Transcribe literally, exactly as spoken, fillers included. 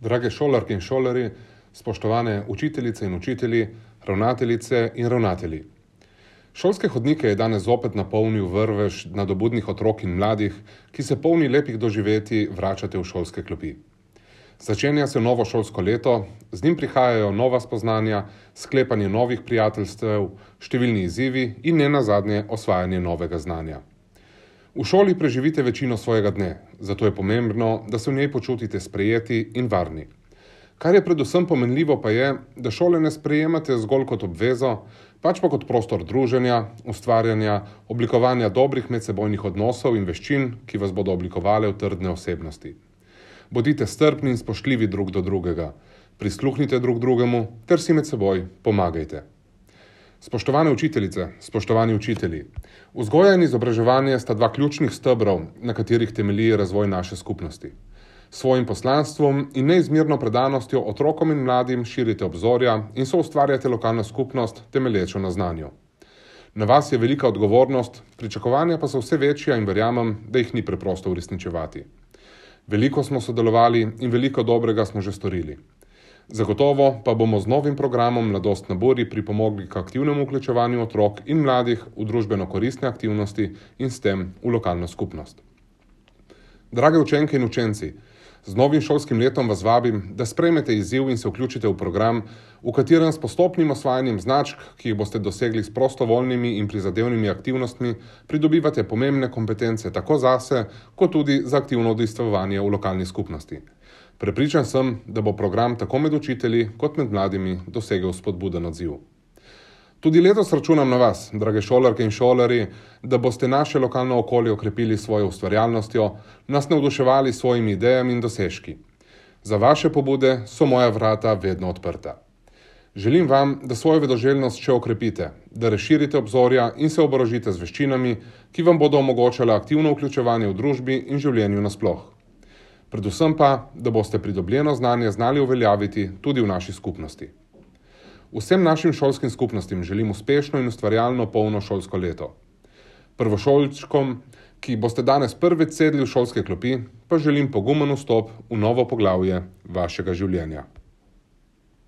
Drage šolarke in šolarji, spoštovane učiteljice in učitelji, ravnateljice in ravnatelji. Šolske hodnike je danes zopet napolnil vrvež nadobudnih otrok in mladih, ki se polni lepih doživetij vračate v šolske klopi. Začenja se novo šolsko leto, z njim prihajajo nova spoznanja, sklepanje novih prijateljstev, številni izzivi in ne nazadnje osvajanje novega znanja. V šoli preživite večino svojega dne, zato je pomembno, da se v njej počutite sprejeti in varni. Kar je predvsem pomenljivo pa je, da šole ne sprejemate zgolj kot obvezo, pač pa kot prostor druženja, ustvarjanja, oblikovanja dobrih medsebojnih odnosov in veščin, ki vas bodo oblikovale v trdne osebnosti. Bodite strpni in spoštljivi drug do drugega, prisluhnite drug drugemu ter si med seboj pomagajte. Spoštovane učiteljice, spoštovani učitelji, vzgoja in izobraževanje sta dva ključnih stebrov, na katerih temelji razvoj naše skupnosti. S svojim poslanstvom in neizmerno predanostjo otrokom in mladim širite obzorja in soustvarjate lokalno skupnost temelječo na znanju. Na vas je velika odgovornost, pričakovanja pa so vse večja in verjamem, da jih ni preprosto uresničevati. Veliko smo sodelovali in veliko dobrega smo že storili. Zagotovo pa bomo z novim programom Mladost na Buri pripomogli k aktivnemu vključevanju otrok in mladih v družbeno koristne aktivnosti in s tem v lokalno skupnost. Drage učenke in učenci, z novim šolskim letom vas vabim, da sprejmete izziv in se vključite v program, v katerem s postopnim osvajanjem značk, ki jih boste dosegli s prostovoljnimi in prizadevnimi aktivnostmi, pridobivate pomembne kompetence tako zase, kot tudi za aktivno udejstvovanje v lokalni skupnosti. Prepričan sem, da bo program tako med učitelji kot med mladimi dosegel spodbuden odziv. Tudi letos računam na vas, drage šolarke in šolarji, da boste naše lokalno okolje okrepili svojo ustvarjalnostjo, nas navduševali s svojimi idejami in dosežki. Za vaše pobude so moja vrata vedno odprta. Želim vam, da svojo vedoželjnost še okrepite, da razširite obzorja in se oborožite z veščinami, ki vam bodo omogočale aktivno vključevanje v družbi in življenju nasploh. Predvsem pa, da boste pridobljeno znanje znali uveljaviti tudi v naši skupnosti. Vsem našim šolskim skupnostim želim uspešno in ustvarjalno polno šolsko leto. Prvošolčkom, ki boste danes prvič sedli v šolske klopi, pa želim pogumen vstop v novo poglavje vašega življenja.